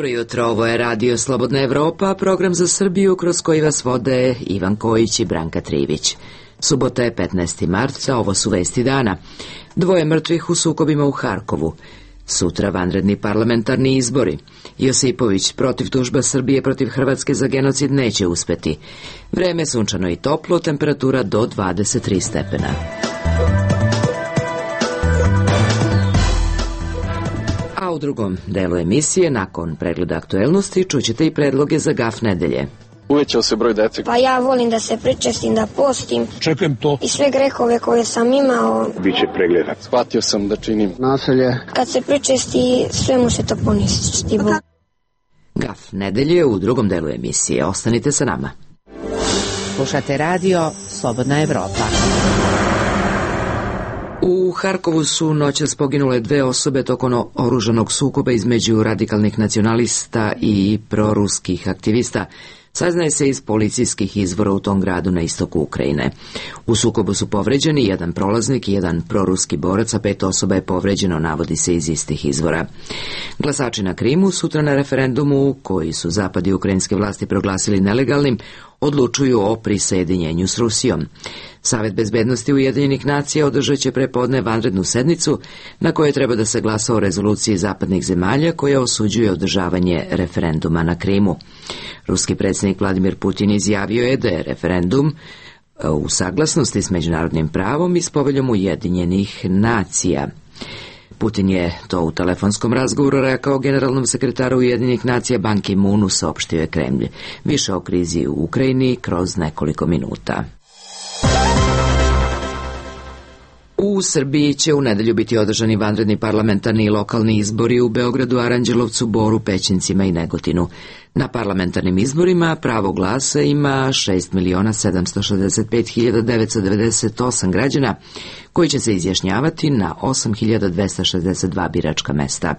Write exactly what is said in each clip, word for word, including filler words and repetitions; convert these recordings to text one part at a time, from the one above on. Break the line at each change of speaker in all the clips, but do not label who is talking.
Dobro jutro, ovo je Radio Slobodna Evropa, program za Srbiju kroz koji vas vode Ivan Kojić i Branka Trivić. Subota je petnaesti marta, ovo su vesti dana. Dvoje mrtvih u sukobima u Harkovu. Sutra vanredni parlamentarni izbori. Josipović protiv tužba Srbije protiv Hrvatske za genocid neće uspeti. Vreme sunčano i toplo, temperatura do dvadeset tri stepena. A u drugom delu emisije, nakon pregleda aktuelnosti, čućete i predloge za gaf nedelje.
Uvećao se broj dece.
Pa ja volim da se pričestim, da postim.
Čekam to.
I sve grehove koje sam imao.
Biće pregleda. Shvatio sam da činim nasilje.
Kad se pričesti, sve mu se to poništi.
Gaf nedelje u drugom delu emisije. Ostanite sa nama.
Slušate radio Slobodna Evropa.
U Harkovu su noćas poginule dve osobe tokom oružanog sukoba između radikalnih nacionalista i proruskih aktivista. Saznaje se iz policijskih izvora u tom gradu na istoku Ukrajine. U sukobu su povređeni jedan prolaznik i jedan proruski borac, a pet osoba je povređeno, navodi se iz istih izvora. Glasači na Krimu sutra na referendumu, koji su zapadi ukrajinske vlasti proglasili nelegalnim, odlučuju o prisajedinjenju s Rusijom. Savet bezbednosti Ujedinjenih nacija održat će prepodne vanrednu sednicu na kojoj treba da se glasa o rezoluciji zapadnih zemalja koja osuđuje održavanje referenduma na Krimu. Ruski predsjednik Vladimir Putin izjavio je da je referendum u saglasnosti s međunarodnim pravom i s poveljom Ujedinjenih nacija. Putin je to u telefonskom razgovoru rekao generalnom sekretaru Ujedinjenih nacija Ban Ki-moonu, saopštio je Kremlj. Više o krizi u Ukrajini kroz nekoliko minuta. U Srbiji će u nedelju biti održani vanredni parlamentarni i lokalni izbori u Beogradu, Aranđelovcu, Boru, Pećincima i Negotinu. Na parlamentarnim izborima pravo glasa ima šest miliona sedamsto šezdeset pet hiljada devetsto devedeset osam građana koji će se izjašnjavati na osam hiljada dvesta šezdeset dva biračka mesta.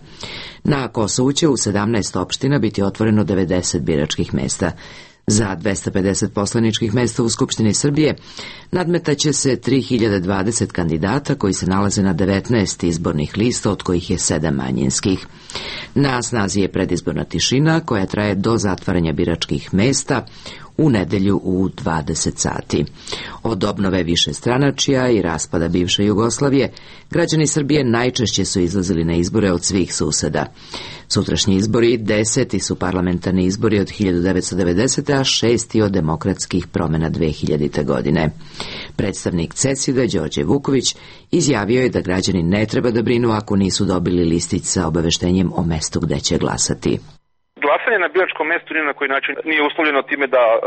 Na Kosovu će u sedamnaest opština biti otvoreno devedeset biračkih mesta. Za dvesta pedeset poslaničkih mesta u Skupštini Srbije nadmetaće se tri hiljade dvadeset kandidata koji se nalaze na devetnaest izbornih lista, od kojih je sedam manjinskih. Na snazi je predizborna tišina koja traje do zatvaranja biračkih mesta u nedelju u dvadeset sati. Od obnove višestranačja i raspada bivše Jugoslavije, građani Srbije najčešće su izlazili na izbore od svih suseda. Sutrašnji izbori deseti su parlamentarni izbori od hiljadu devetsto devedesete. a šesti od demokratskih promjena dve hiljadite. godine. Predstavnik CESID-a Đorđe Vuković izjavio je da građani ne treba da brinu ako nisu dobili listić sa obaveštenjem o mestu gde će glasati.
Glasanje na biračkom mestu ni na koji način nije uslovljeno time da uh,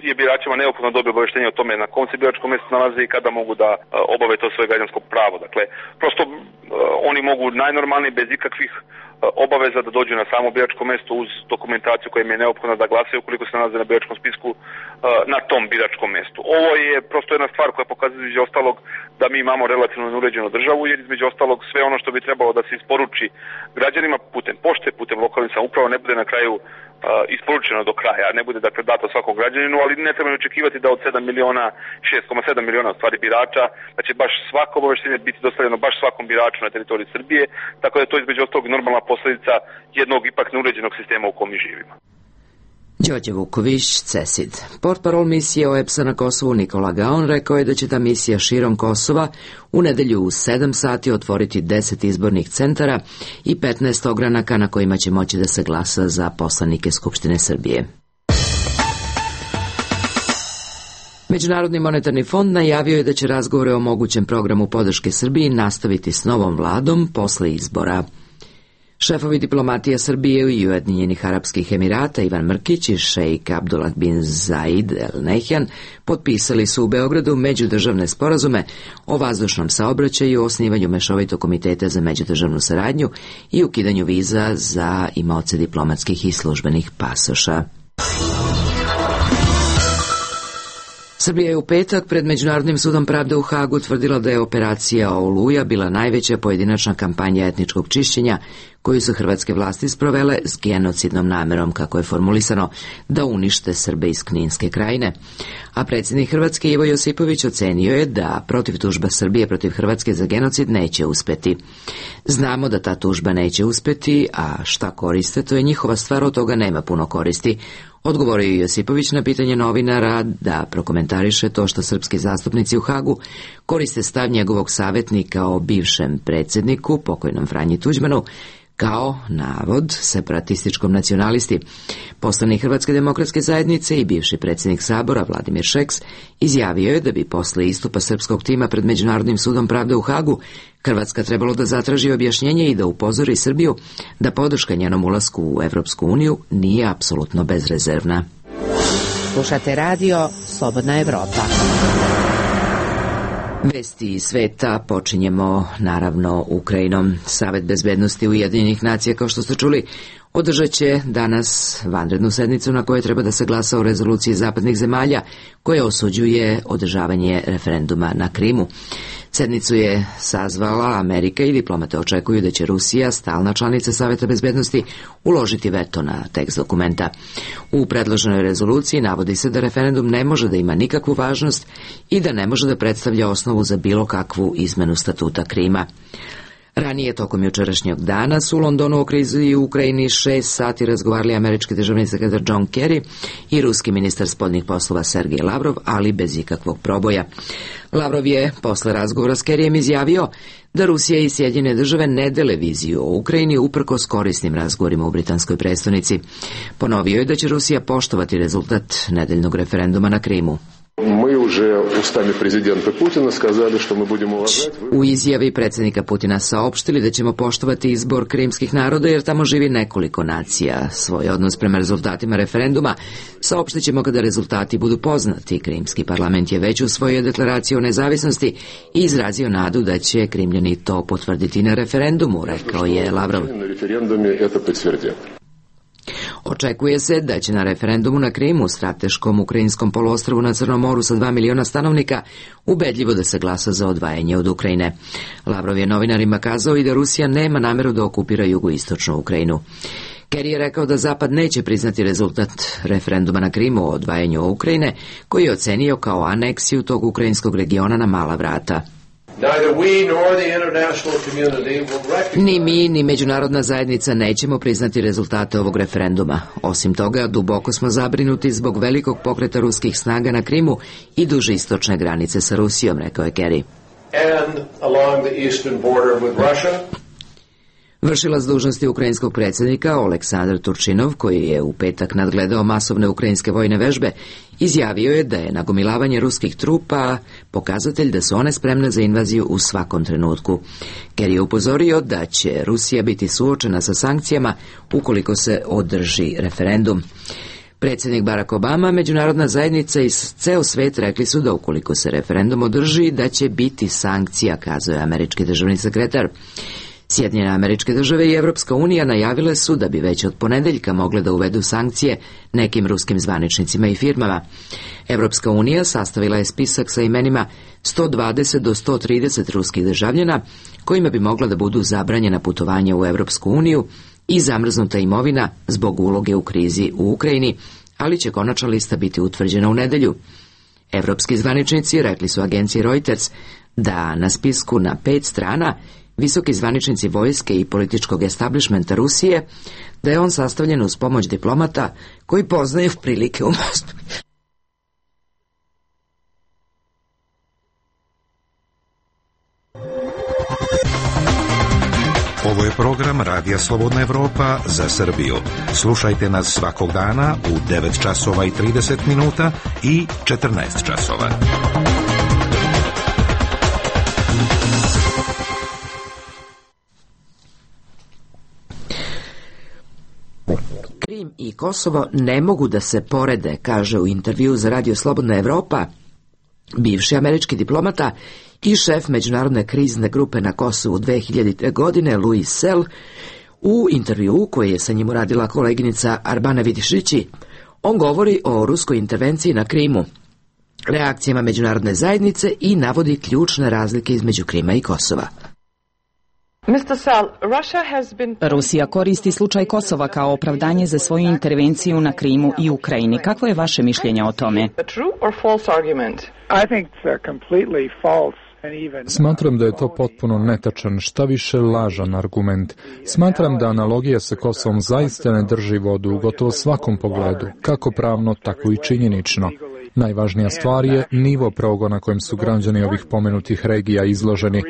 je biračima neophodno dobiti obaveštenje o tome na kom se biračkom mestu nalaze i kada mogu da uh, obave to svoje građansko pravo. Dakle, prosto uh, oni mogu najnormalnije bez ikakvih uh, obaveza da dođu na samo biračko mesto uz dokumentaciju koja im je neophodna da glasaju ukoliko se nalaze na biračkom spisku uh, na tom biračkom mestu. Ovo je prosto jedna stvar koja pokazuje između ostalog da mi imamo relativno neuređenu državu, jer između ostalog sve ono što bi trebalo da se isporuči građanima putem pošte, putem lokalnih samouprava ne bude na kraju uh, isporučeno do kraja, ne bude dakle dato svakom građaninu, ali ne treba očekivati da od sedam miliona, šest zarez sedam miliona stvari birača, da će baš svako obaveštenje biti dostavljeno baš svakom biraču na teritoriji Srbije, tako da je to između ostalog normalna posljedica jednog ipak neuređenog sistema u kom mi živimo.
Đorđe Vuković, CESID. Portparol misije O E B S-a na Kosovu Nikola Gaon rekao je da će ta misija širom Kosova u nedelju u sedam sati otvoriti deset izbornih centara i petnaest ogranaka na kojima će moći da se glasa za poslanike Skupštine Srbije. Međunarodni monetarni fond najavio je da će razgovore o mogućem programu podrške Srbiji nastaviti s novom vladom posle izbora. Šefovi diplomatija Srbije i Ujedinjenih Arapskih Emirata Ivan Mrkić i šejk Abdullah bin Zaid El Nehjan potpisali su u Beogradu međudržavne sporazume o vazdušnom saobraćaju, osnivanju mešovitog komiteta za međudržavnu saradnju i ukidanju viza za imaoce diplomatskih i službenih pasoša. Srbija je u petak pred Međunarodnim sudom pravde u Hagu tvrdila da je operacija Oluja bila najveća pojedinačna kampanja etničkog čišćenja koju su hrvatske vlasti sprovele s genocidnom namerom, kako je formulisano, da unište Srbe iz Kninske krajine. A predsjednik Hrvatske Ivo Josipović ocenio je da protiv tužba Srbije protiv Hrvatske za genocid neće uspeti. Znamo da ta tužba neće uspeti, a šta koriste, to je njihova stvar, od toga nema puno koristi. Odgovorio je Josipović na pitanje novinara da prokomentariše to što srpski zastupnici u Hagu koriste stav njegovog savjetnika o bivšem predsjedniku, pokojnom Franji Tuđmanu, kao navod separatističkom nacionalisti. Poslanik Hrvatske demokratske zajednice i bivši predsjednik Sabora Vladimir Šeks izjavio je da bi posle istupa srpskog tima pred Međunarodnim sudom pravde u Hagu Hrvatska trebalo da zatraži objašnjenje i da upozori Srbiju da podrška njenom ulasku u Evropsku uniju nije apsolutno bezrezervna.
Slušate radio Slobodna Evropa.
Vesti iz sveta počinjemo naravno Ukrajinom. Savet bezbednosti Ujedinjenih nacija, kao što ste čuli, održat će danas vanrednu sednicu na kojoj treba da se glasa o rezoluciji zapadnih zemalja koja osuđuje održavanje referenduma na Krimu. Sednicu je sazvala Amerika i diplomate očekuju da će Rusija, stalna članica Saveta bezbednosti, uložiti veto na tekst dokumenta. U predloženoj rezoluciji navodi se da referendum ne može da ima nikakvu važnost i da ne može da predstavlja osnovu za bilo kakvu izmenu statuta Krima. Ranije, tokom jučerašnjeg dana, su u Londonu o krizi u Ukrajini šest sati razgovarali američki državni sekretar John Kerry i ruski ministar spoljnih poslova Sergej Lavrov, ali bez ikakvog proboja. Lavrov je posle razgovora s Kerryjem izjavio da Rusija i Sjedinjene države ne dele viziju o Ukrajini uprkos korisnim razgovorima u britanskoj prestonici. Ponovio je da će Rusija poštovati rezultat nedeljnog referenduma na Krimu.
Mi уже устами президента Путина сказали, что мы будем уважать.
U izjavi predsjednika Putina saopštili da ćemo poštovati izbor krimskih naroda jer tamo živi nekoliko nacija. Svoj odnos prema rezultatima referenduma saopštit ćemo kada rezultati budu poznati. Krimski parlament je već usvojio deklaraciju o nezavisnosti i izrazio nadu da će Krimljani to potvrditi na referendumu, rekao je Lavrov.
Na referendumu это подтвердят.
Očekuje se da će na referendumu na Krimu, strateškom ukrajinskom poluostrvu na Crnom moru sa dva miliona stanovnika, ubedljivo da se glasa za odvajanje od Ukrajine. Lavrov je novinarima kazao i da Rusija nema nameru da okupira jugoistočnu Ukrajinu. Kerry je rekao da Zapad neće priznati rezultat referenduma na Krimu o odvajanju Ukrajine, koji je ocenio kao aneksiju tog ukrajinskog regiona na mala vrata. Ni mi, ni međunarodna zajednica nećemo priznati rezultate ovog referenduma. Osim toga, duboko smo zabrinuti zbog velikog pokreta ruskih snaga na Krimu i duže istočne granice sa Rusijom, rekao je Kerry. Vršilac dužnosti ukrajinskog predsjednika Oleksandar Turčinov, koji je u petak nadgledao masovne ukrajinske vojne vežbe, izjavio je da je nagomilavanje ruskih trupa pokazatelj da su one spremne za invaziju u svakom trenutku. Kerry je upozorio da će Rusija biti suočena sa sankcijama ukoliko se održi referendum. Predsjednik Barack Obama, međunarodna zajednica i ceo svet rekli su da ukoliko se referendum održi, da će biti sankcija, kazuje američki državni sekretar. Sjedinjene Američke Države i Evropska unija najavile su da bi već od ponedeljka mogle da uvedu sankcije nekim ruskim zvaničnicima i firmama. Evropska unija sastavila je spisak sa imenima sto dvadeset do sto trideset ruskih državljana kojima bi mogla da budu zabranjena putovanja u Evropsku uniju i zamrznuta imovina zbog uloge u krizi u Ukrajini, ali će konačna lista biti utvrđena u nedelju. Evropski zvaničnici rekli su agenciji Reuters da na spisku na pet strana visoki zvaničnici vojske i političkog establishmenta Rusije, da je on sastavljen uz pomoć diplomata koji poznaju prilike u Moskvi.
Ovo je program Radija Slobodna Evropa za Srbiju. Slušajte nas svakog dana u devet časova i trideset minuta i četrnaest časova.
Krim i Kosovo ne mogu da se porede, kaže u intervju za Radio Slobodna Evropa bivši američki diplomata i šef međunarodne krizne grupe na Kosovu dve hiljadite. godine Louis Sell. U intervju koji je sa njim uradila koleginica Arbana Vidišići, on govori o ruskoj intervenciji na Krimu. reakcijama međunarodne zajednice i navodi ključne razlike između Krima i Kosova.
Rusija koristi slučaj Kosova kao opravdanje za svoju intervenciju na Krimu i Ukrajini. Kakvo je vaše mišljenje o tome?
Smatram da je to potpuno netačan, šta više lažan argument. Smatram da analogija sa Kosovom zaista ne drži vodu u gotovo svakom pogledu, kako pravno, tako i činjenično. Najvažnija stvar je nivo progona kojem su građani ovih pomenutih regija izloženi.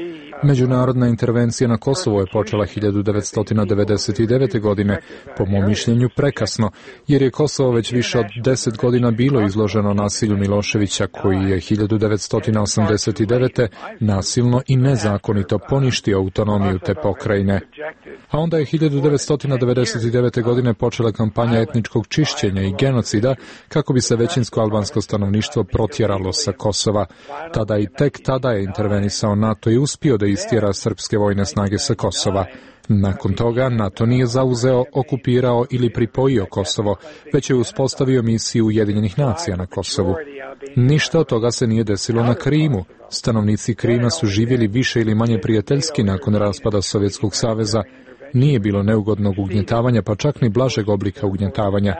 Međunarodna intervencija na Kosovo je počela hiljadu devetsto devedeset devete. godine, po mom mišljenju prekasno, jer je Kosovo već više od deset godina bilo izloženo nasilju Miloševića, koji je hiljadu devetsto osamdeset devete. nasilno i nezakonito poništio autonomiju te pokrajine. A onda je hiljadu devetsto devedeset devete. godine počela kampanja etničkog čišćenja i genocida kako bi se većinsko albansko stanovništvo protjeralo sa Kosova. Tada i tek tada je intervenisao NATO i uspio da istjera srpske vojne snage sa Kosova. Nakon toga NATO nije zauzeo, okupirao ili pripojio Kosovo, već je uspostavio misiju Ujedinjenih nacija na Kosovu. Ništa od toga se nije desilo na Krimu. Stanovnici Krima su živjeli više ili manje prijateljski nakon raspada Sovjetskog saveza. Nije bilo neugodnog ugnjetavanja, pa čak ni blažeg oblika ugnjetavanja.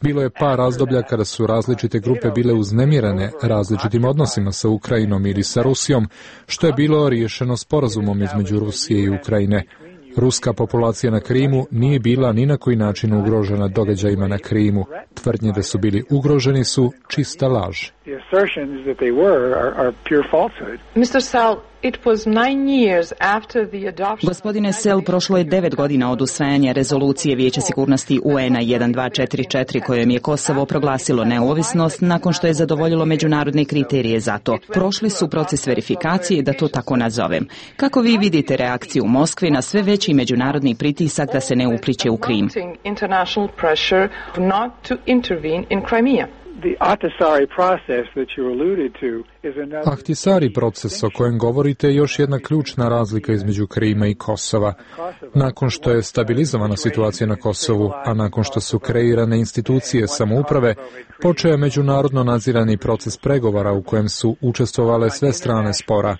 Bilo je par razdoblja kada su različite grupe bile uznemirene različitim odnosima sa Ukrajinom ili sa Rusijom, što je bilo riješeno sporazumom između Rusije i Ukrajine. Ruska populacija na Krimu nije bila ni na koji način ugrožena događajima na Krimu. Tvrdnje da su bili ugroženi su čista laž.
Gospodine Sel, prošlo je devet godina od usvajanja rezolucije Vijeća sigurnosti U N-a jedan dva četiri četiri kojom je Kosovo proglasilo neovisnost nakon što je zadovoljilo međunarodne kriterije za to. Prošli su proces verifikacije, da to tako nazovem. Kako vi vidite reakciju Moskve na sve veći međunarodni pritisak da se ne upliće u Krim?
Ahtisari proces o kojem govorite je još jedna ključna razlika između Krima i Kosova. Nakon što je stabilizovana situacija na Kosovu, a nakon što su kreirane institucije samouprave, počeo je međunarodno nadzirani proces pregovora u kojem su učestvovale sve strane spora.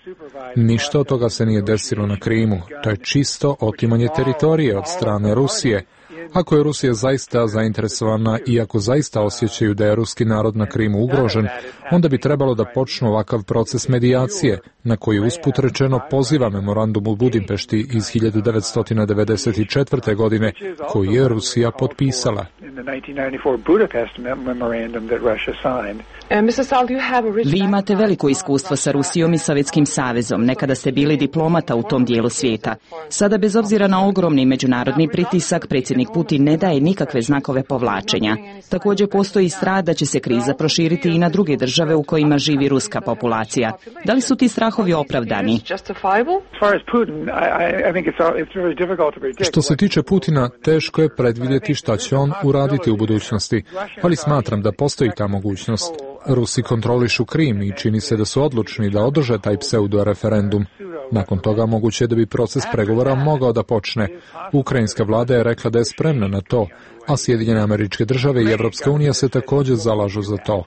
Ništa od toga se nije desilo na Krimu. To je čisto otimanje teritorije od strane Rusije. Ako je Rusija zaista zainteresovana i ako zaista osjećaju da je ruski narod na Krimu ugrožen, onda bi trebalo da počnu ovakav proces medijacije, na koji usput rečeno poziva memorandum u Budimpešti iz hiljadu devetsto devedeset četvrte. godine, koji je Rusija potpisala.
Vi imate veliko iskustvo sa Rusijom i Sovjetskim savezom. Nekada ste bili diplomata u tom dijelu svijeta. Sada, bez obzira na ogromni međunarodni pritisak, predsjednik Putin ne daje nikakve znakove povlačenja. Također postoji strah da će se kriza proširiti i na druge države u kojima živi ruska populacija. Da li su ti strahovi opravdani?
Što se tiče Putina, teško je predvidjeti šta će on uraditi u budućnosti, ali smatram da postoji ta mogućnost. Rusi kontrolišu Krim i čini se da su odlučni da održe taj pseudo-referendum. Nakon toga moguće je da bi proces pregovora mogao da počne. Ukrajinska vlada je rekla da je spremna na to, a Sjedinjene Američke Države i Evropska unija se također zalažu za to.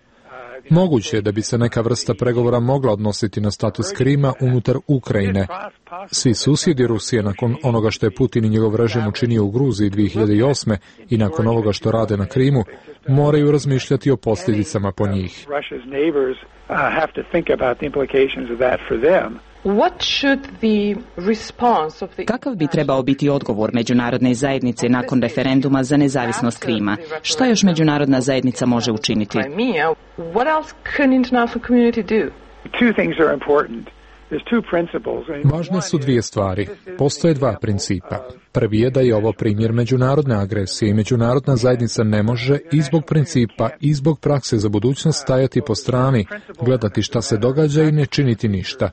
Moguće je da bi se neka vrsta pregovora mogla odnositi na status Krima unutar Ukrajine. Svi susjedi Rusije, nakon onoga što je Putin i njegov režim učinio u Gruziji dvije hiljade osme. i nakon ovoga što rade na Krimu, moraju razmišljati o posljedicama po njih.
Kakav bi trebao biti odgovor međunarodne zajednice nakon referenduma za nezavisnost Krima? Šta još međunarodna zajednica može učiniti?
Važne su dvije stvari. Postoje dva principa. Prvi je da je ovo primjer međunarodne agresije i međunarodna zajednica ne može i zbog principa i zbog prakse za budućnost stajati po strani, gledati šta se događa i ne činiti ništa.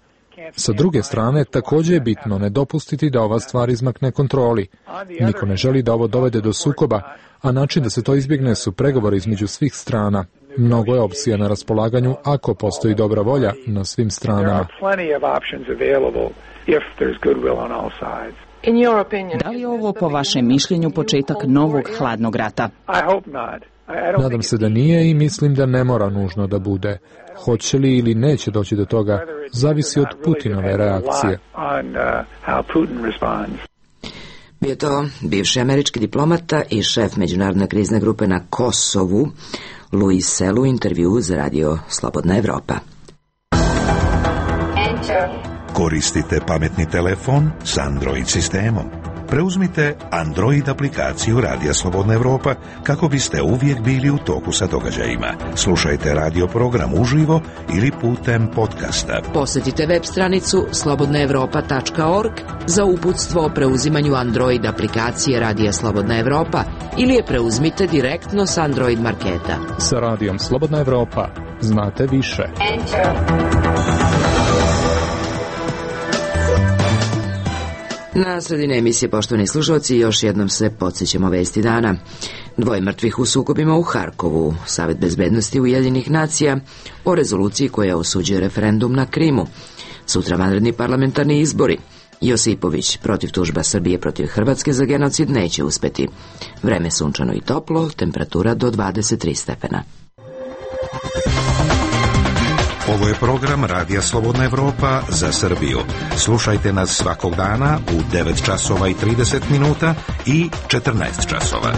Sa druge strane, također je bitno ne dopustiti da ova stvar izmakne kontroli. Niko ne želi da ovo dovede do sukoba, a način da se to izbjegne su pregovori između svih strana. Mnogo je opcija na raspolaganju ako postoji dobra volja na svim stranama.
Da li je ovo po vašem mišljenju početak novog hladnog rata?
Nadam se da nije i mislim da ne mora nužno da bude. Hoće li ili neće doći do toga, zavisi od Putinove reakcije.
Bio to bivši američki diplomata i šef međunarodne krizne grupe na Kosovu, Louis Sell, u intervju za radio Slobodna Evropa.
Koristite pametni telefon s Android sistemom. Preuzmite Android aplikaciju Radija Slobodna Evropa kako biste uvijek bili u toku sa događajima. Slušajte radio program uživo ili putem podcasta.
Posjetite web stranicu slobodna evropa tačka org za uputstvo o preuzimanju Android aplikacije Radija Slobodna Evropa ili je preuzmite direktno s Android marketa.
Sa Radijom Slobodna Evropa znate više.
Na sredini emisije, poštovani slušalci, još jednom se podsjećamo vesti dana. Dvoje mrtvih u sukobima u Harkovu, Savet bezbednosti Ujedinjenih nacija o rezoluciji koja osuđuje referendum na Krimu. Sutra vanredni parlamentarni izbori. Josipović protiv tužba Srbije protiv Hrvatske za genocid neće uspeti. Vreme sunčano i toplo, temperatura do dvadeset tri stepena.
Ovo je program Radija Slobodna Evropa za Srbiju. Slušajte nas svakog dana u devet časova i trideset minuta i četrnaest časova.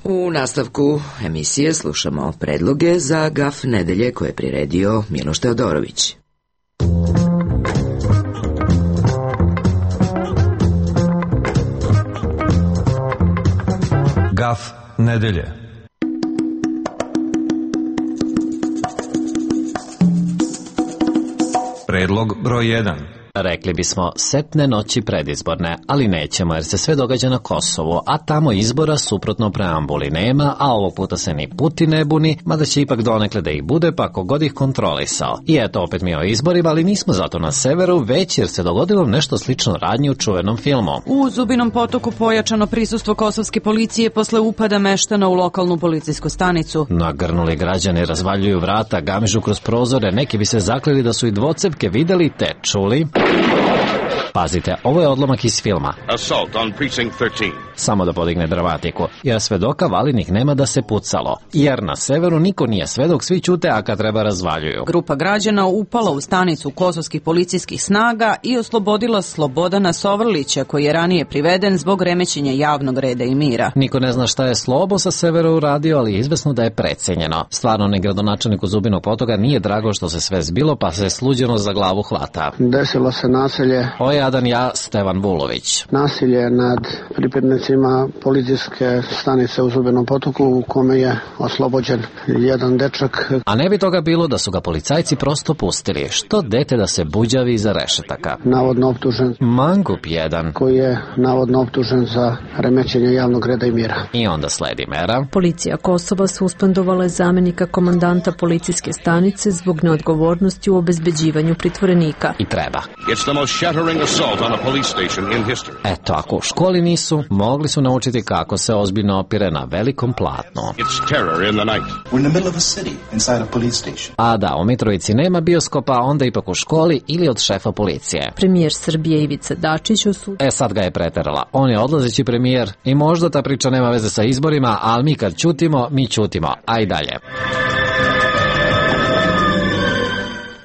U nastavku emisije slušamo predloge za Gaf nedelje koje je priredio Miloš Teodorović.
Gaf nedelje. Predlog broj jedan.
Rekli bismo setne noći predizborne, ali nećemo jer se sve događa na Kosovu, a tamo izbora suprotno preambuli nema, a ovog puta se ni Putin ne buni, mada će ipak donekle da ih bude pa kogod ih kontrolisao. I eto opet mi o izborima, ali nismo zato na severu, već jer se dogodilo nešto slično radnji u čuvenom filmu.
U Zubinom Potoku pojačano prisustvo kosovske policije posle upada meštana u lokalnu policijsku stanicu.
Nagrnuli građani razvaljuju vrata, gamižu kroz prozore, neki bi se zakleli da su i dvocepke videli te čuli. Pazite, ovo je odlomak iz filma.
Assault on precinct thirteen.
Samo da podigne dramatiku, jer svedoka valinih nema da se pucalo, jer na severu niko nije svedok, svi ćute, a kad treba razvaljuju.
Grupa građana upala u stanicu kosovskih policijskih snaga i oslobodila Slobodana Sovrlića, koji je ranije priveden zbog remećenja javnog reda i mira.
Niko ne zna šta je Slobo sa severa uradio, ali je izvesno da je precenjeno. Stvarno ni gradonačelniku Zubinog Potoka nije drago što se sve zbilo, pa se sluđeno za glavu hvata.
Desilo se nasilje.
O jadan ja, Stevan Vulović.
Nasilje nad pripadnicima policijske stanice u Zubinom Potoku u kome je oslobođen jedan dečak.
A ne bi toga bilo da su ga policajci prosto pustili. Što dete da se buđavi iza rešetaka?
Navodno optužen.
Mangup jedan.
Koji je navodno optužen za remećenje javnog reda i mira.
I onda sledi mera.
Policija Kosova suspendovala je zamenika komandanta policijske stanice zbog neodgovornosti u obezbeđivanju pritvorenika.
I treba.
It's the most shattering assault on a police station in history.
Eto, ako u školi nisu, mogli su naučiti kako se ozbiljno opire na velikom platnu.
It's terror in the night.
We're in the middle of a city inside a police station.
A da, u Mitrovici nema bioskopa, onda ipak u školi ili od šefa policije.
Premijer Srbije Ivica Dačić osud...
E sad ga je preterala. On je odlazeći premijer i možda ta priča nema veze sa izborima, ali mi kad ćutimo, mi ćutimo. Aj dalje.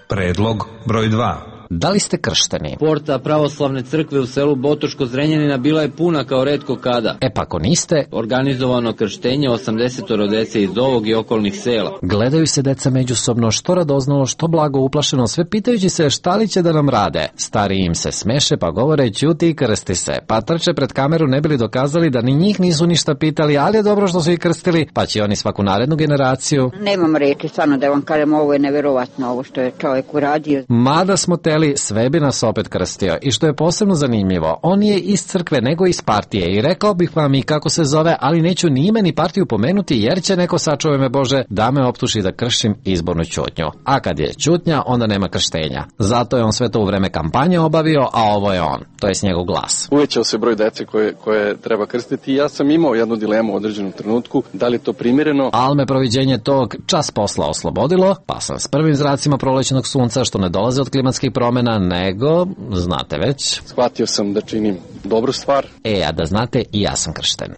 Predlog broj dva.
Da li ste kršteni?
Porta pravoslavne crkve u selu Botoško Zrenjanina bila je puna kao retko kada.
E pa ako niste...
Organizovano krštenje osamdesetoro dece iz ovog i okolnih sela.
Gledaju se deca međusobno, što radoznalo, što blago uplašeno, sve pitajući se šta li će da nam rade. Stari im se smeše pa govore ćuti i krsti se. Pa trče pred kameru ne bili dokazali da ni njih nisu ništa pitali, ali je dobro što su ih krstili, pa će oni svaku narednu generaciju.
Nemam reči, stvarno da vam kažem, ovo je neverovatno, ovo što je čovjek uradio.
Mada smo te sve bi nas opet krstio. I što je posebno zanimljivo, on je iz crkve nego iz partije i rekao bih vam i kako se zove, ali neću ni ime ni partiju pomenuti jer će neko, sačuvaj me Bože, da me optuži da kršim izbornu ćutnju. A kad je ćutnja, onda nema krštenja. Zato je on sve to u vreme kampanje obavio, a ovo je on. To je s njegov glas.
Uvećao se broj dece koje, koje treba krstiti i ja sam imao jednu dilemu u određenom trenutku, da li je to primjereno.
Ali me proviđenje tog čas posla oslobodilo, pa sam s prvim zracima prolećenog sunca što ne dolaze od klimatskih promjena promena, nego, znate već.
Shvatio sam da činim dobru stvar.
E, a da znate, i ja sam kršten.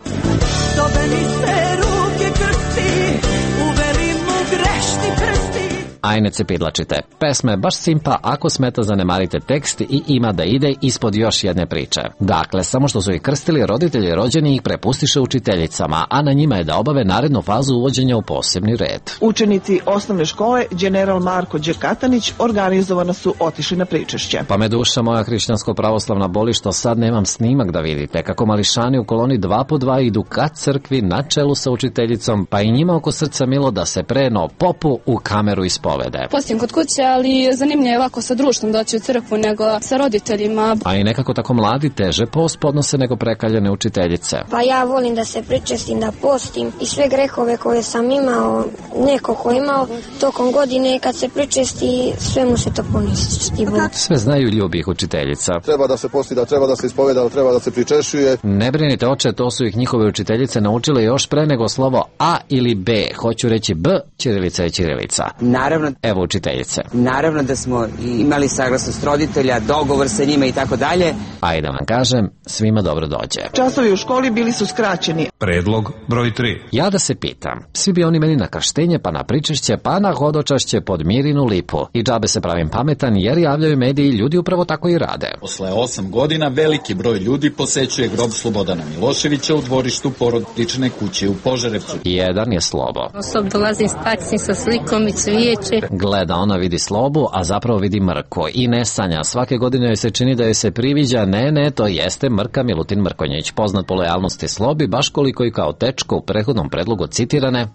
Dobeni se ruke krsti, uveri mu grešni prsti.
Ajne se pidlačite. Pesma je baš simpa, ako smeta zanemarite tekst i ima da ide ispod još jedne priče. Dakle, samo što su ih krstili, roditelji rođeni ih prepustiše učiteljicama, a na njima je da obave narednu fazu uvođenja u posebni red.
Učenici osnovne škole General Marko Đerkatanić organizovano su otišli na pričešće.
Pa me duša moja hrišćansko-pravoslavna boli što sad nemam snimak da vidite, kako mališani u koloni dva po dva idu ka crkvi na čelu sa učiteljicom, pa i njima oko srca milo da se preno popu u kameru ispovede.
Postim kod kuće, ali zanimljivo je ovako sa društvom doći u crkvu nego sa roditeljima.
A i nekako tako mladi teže post podnose nego prekaljene učiteljice.
Pa ja volim da se pričestim, da postim i sve grehove koje sam imao, neko ko imao tokom godine, kad se pričesti, sve mu se to poništi.
Sve znaju ljubih učiteljica.
Treba da se posti, da treba da se ispoveda, treba da se pričešuje.
Ne brinite oče, to su ih njihove učiteljice naučile još pre nego slovo A ili B. Hoću reći B, ćirilica je ćirilica.
Naravno.
Evo učiteljice.
Naravno da smo imali saglasnost roditelja, dogovor sa njima i tako dalje.
A i da vam kažem, svima dobro dođe.
Časovi u školi bili su skraćeni.
Predlog broj tri.
Ja da se pitam, svi bi oni meni na krštenje, pa na pričešće, pa na hodočašće pod Mirinu lipu. I džabe se pravim pametan, jer javljaju mediji, ljudi upravo tako i rade.
Posle osam godina veliki broj ljudi posećuje grob Slobodana Miloševića u dvorištu porodične kuće u Požarevcu.
Jedan je Slobo.
Osob dolazim s taksi sa slikom i cvijeće.
Gleda, ona vidi Slobu, a zapravo vidi Mrko i ne sanja. Svake godine joj se čini da joj se priviđa, ne, ne, to jeste Mrka Milutin Mrkonjić, poznat po lojalnosti Slobi, baš koliko i kao tečko u prethodnom predlogu citirane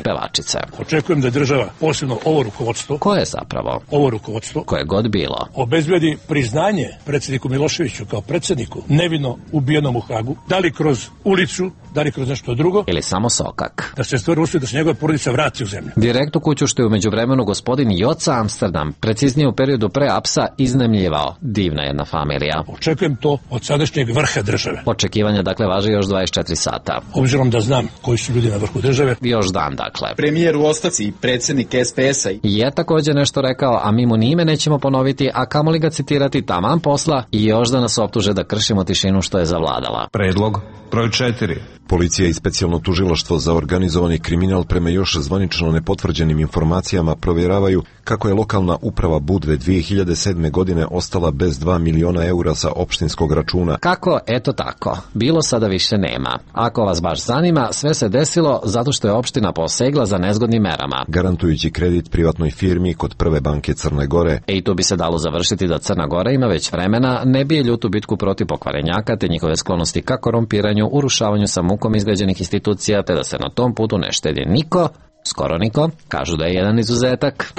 pevačice.
Očekujem da država, posebno ovo rukovodstvo,
koje je zapravo
ovo rukovodstvo,
koje god bilo,
obezbedi priznanje predsjedniku Miloševiću kao predsjedniku nevino ubijenom u Hagu, da li kroz ulicu, da li kroz nešto drugo,
ili samo sokak,
da se stvori uslov da se njegova porodica vrati u zemlju.
Direkt u kuću što je u međuvremenu gospodin Joca Amsterdam, preciznije u periodu pre apsa, iznemljivao. Divna jedna familija.
Očekujem to od sadašnjeg vrha države.
Očekivanja dakle važe još dvadeset četiri sata.
Obzirom da znam koji su ljudi na vrhu države.
Još dan dakle.
Premijer u ostavci i predsjednik S P S-a
je također nešto rekao, a mi mu ni ime nećemo ponoviti, a kamoli ga citirati, taman posla i još da nas optuže da kršimo tišinu što je zavladala.
Predlog broj četiri.
Policija i specijalno tužilaštvo za organizovani kriminal prema još zvanično nepotvrđenim informacijama provjeravaju kako je lokalna uprava Budve dvije hiljade sedme. godine ostala bez dva miliona eura sa opštinskog računa.
Kako? Eto tako. Bilo sada više nema. Ako vas baš zanima, sve se desilo zato što je opština posegla za nezgodnim merama.
Garantujući kredit privatnoj firmi kod Prve banke Crne Gore.
E i tu bi se dalo završiti da Crna Gora ima već vremena, ne bije ljutu bitku protiv pokvarenjaka te njihove sklonosti ka korumpiranju, urušavanju sa mukom izgrađenih institucija, te da se na tom putu ne štedi niko, skoro niko, kažu da je jedan izuzetak.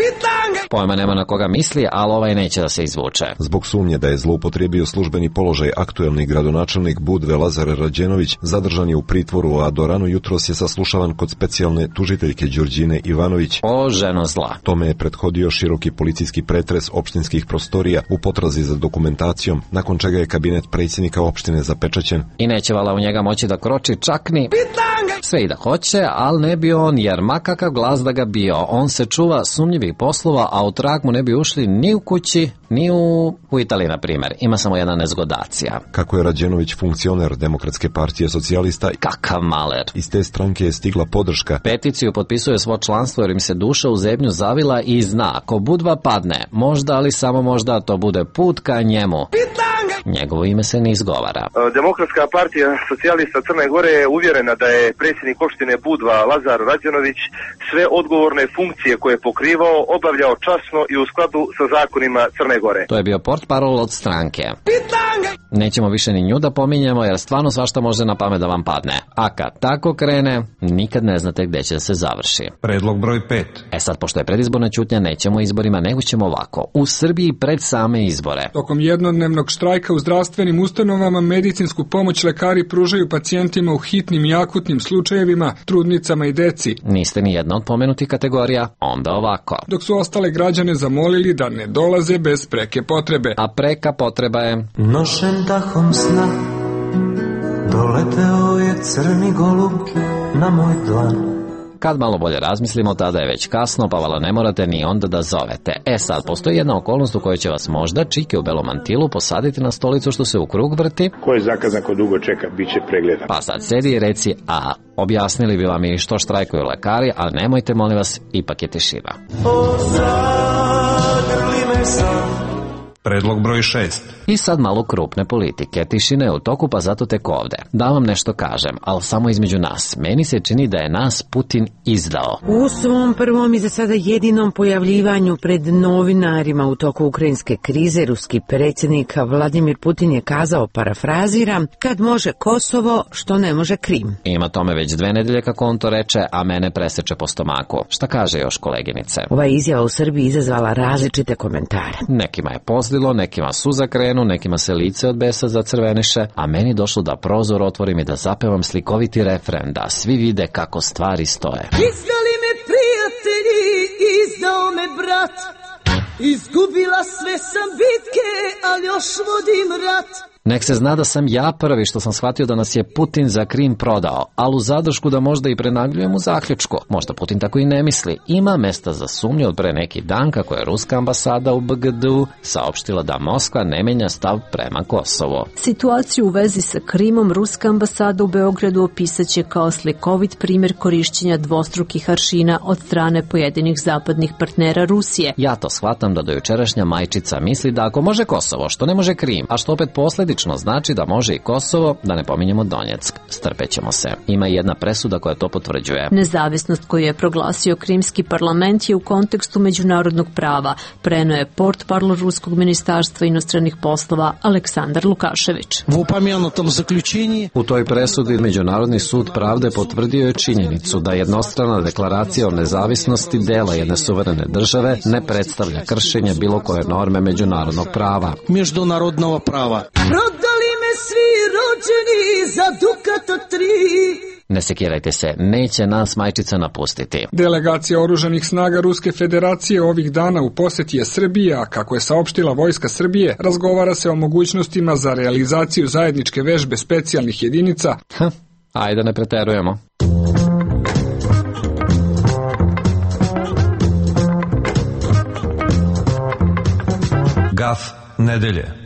Pojma nema na koga misli, ali ovaj neće da se izvuče.
Zbog sumnje da je zloupotrijebio službeni položaj, aktuelni gradonačelnik Budve Lazar Rađenović zadržan je u pritvoru, a do rano jutros je saslušavan kod specijalne tužiteljke Đurđine Ivanović.
O, ženo zla.
Tome je prethodio široki policijski pretres opštinskih prostorija u potrazi za dokumentacijom, nakon čega je kabinet predsjednika opštine zapečaćen.
I neće vala u njega moći da kroči čak ni sve i da hoće, ali ne bi on, jer makakav glas da ga bio, on se čuva sumnjivih poslova, a u trag mu ne bi ušli ni u kući, ni u, u Italiji, na primjer. Ima samo jedna nezgodacija.
Kako je Rađenović funkcioner Demokratske partije socijalista,
kakav maler.
Iz te stranke je stigla podrška.
Peticiju potpisuje svo članstvo jer im se duša u zemlju zavila i zna, ako Budva padne, možda, ali samo možda, to bude put ka njemu. Njegovo ime se ne izgovara.
Demokratska partija socijalista Crne Gore je uvjerena da je predsjednik opštine Budva Lazar Rađenović sve odgovorne funkcije koje je pokrivao obavljao časno i u skladu sa zakonima Crne Gore.
To je bio portparol od stranke. Nećemo više ni nju da pominjemo, jer stvarno svašta može na pamet da vam padne. A kad tako krene, nikad ne znate gde će se završi.
Predlog broj pet.
E sad, pošto je predizborna ćutnja, nećemo izborima, nego ćemo ovako. U Srbiji pred same izbore.
Tokom jednodnevnog štrajka u zdravstvenim ustanovama medicinsku pomoć lekari pružaju pacijentima u hitnim i akutnim slučajevima, trudnicama i deci.
Niste ni jedna od pomenutih kategorija, onda ovako.
Dok su ostale građane zamolili da ne dolaze bez preke potrebe.
A preka potreba je...
Nošen dahom sna doleteo je crni golub na moj dlan.
Kad malo bolje razmislimo, tada je već kasno, pa vala ne morate ni onda da zovete. E sad, postoji jedna okolnost u kojoj će vas možda čike u belom mantilu posaditi na stolicu što se u krug vrti.
Ko je zakazan, ko dugo čeka, bit će pregledan.
Pa sad sedi i reci, a objasnili bi vam i što štrajkuju lekari, ali nemojte, molim vas, ipak je tišina.
Predlog broj šest.
I sad malo krupne politike. Tišina je u toku, pa zato tek ovde. Da vam nešto kažem, ali samo između nas. Meni se čini da je nas Putin izdao.
U svom prvom i za sada jedinom pojavljivanju pred novinarima u toku ukrajinske krize, ruski predsjednik Vladimir Putin je kazao, parafraziram, kad može Kosovo, što ne može Krim.
Ima tome već dve nedelje kako on to reče, a mene preseče po stomaku. Šta kaže još koleginice?
Ova izjava u Srbiji izazvala različite komentare.
Nekima je pozdilo, nekima suza krenu, nekima se lice od besa zacrveniše, a meni došlo da prozor otvorim i da zapevam slikoviti refren, da svi vide kako stvari stoje.
Izdali me prijatelji, izdao me brat, izgubila sve sam bitke, ali još vodim rat.
Nek se zna da sam ja prvi što sam shvatio da nas je Putin za Krim prodao, ali u zadršku da možda i prenagljujem u zaključku. Možda Putin tako i ne misli. Ima mesta za sumnju od pre neki dan kako je ruska ambasada u B G D-u saopštila da Moskva ne menja stav prema Kosovo.
Situaciju u vezi sa Krimom ruska ambasada u Beogradu opisaće kao slikovit primjer korišćenja dvostrukih aršina od strane pojedinih zapadnih partnera Rusije.
Ja to shvatam da dojučerašnja majčica misli da ako može Kosovo, što ne može Krim, a što opet posledično znači da može i Kosovo, da ne pominjemo Donjeck. Strpećemo se. Ima jedna presuda koja to potvrđuje.
Nezavisnost koju je proglasio Krimski parlament je u kontekstu međunarodnog prava, preneo je portparol Ruskog ministarstva inostranih poslova Aleksandar Lukašević.
U toj presudi Međunarodni sud pravde potvrdio je činjenicu da jednostrana deklaracija o nezavisnosti dela jedne suverene države ne predstavlja kršenje bilo koje norme međunarodnog prava.
Međunarodnog prava. Prodali me svi rođeni za dukato tri.
Ne sekirajte se, neće nas majčica napustiti.
Delegacija oružanih snaga Ruske federacije ovih dana u posjeti je Srbije, a kako je saopštila Vojska Srbije, razgovara se o mogućnostima za realizaciju zajedničke vežbe specijalnih jedinica.
Ha, ajde ne preterujemo.
Gaf nedelje.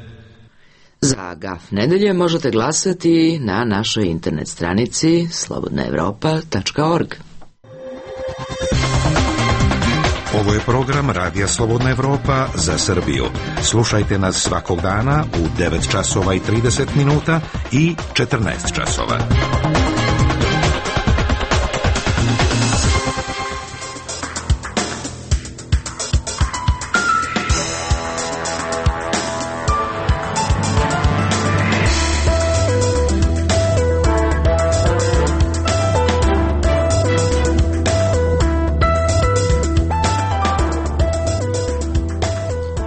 Za Gaf nedelje možete glasati na našoj internet stranici slobodna evropa tačka org.
Ovo je program Radija Slobodna Evropa za Srbiju. Slušajte nas svakog dana u devet časova i trideset minuta i četrnaest časova.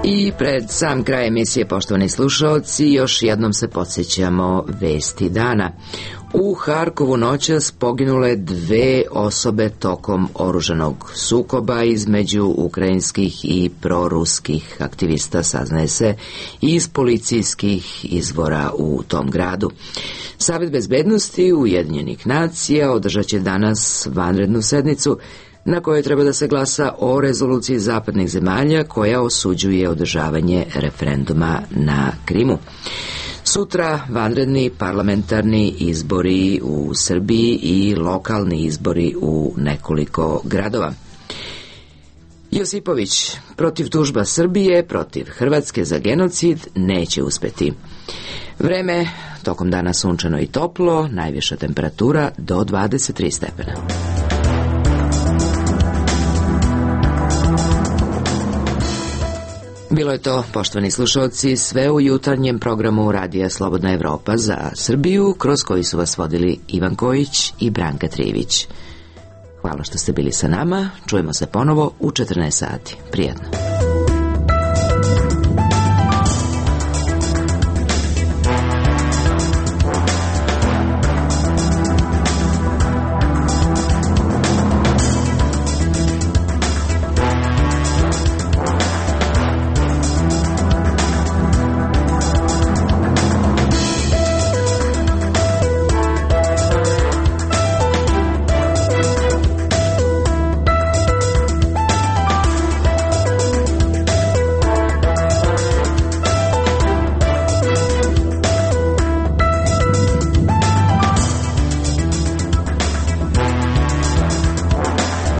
I pred sam kraj emisije, poštovani slušalci, još jednom se podsjećamo vesti dana. U Harkovu noćas poginule dve osobe tokom oružanog sukoba između ukrajinskih i proruskih aktivista, saznaje se iz policijskih izvora u tom gradu. Savet bezbednosti Ujedinjenih nacija održat će danas vanrednu sednicu na kojoj treba da se glasa o rezoluciji zapadnih zemalja koja osuđuje održavanje referenduma na Krimu. Sutra vanredni parlamentarni izbori u Srbiji i lokalni izbori u nekoliko gradova. Josipović, protiv tužba Srbije, protiv Hrvatske za genocid neće uspeti. Vreme, tokom dana sunčano i toplo, najviša temperatura do dvadeset tri stepena. Bilo je to, poštovani slušalci, sve u jutarnjem programu Radija Slobodna Evropa za Srbiju, kroz koji su vas vodili Ivan Kojić i Branka Trivić. Hvala što ste bili sa nama, čujemo se ponovo u četrnaest sati. Prijetno.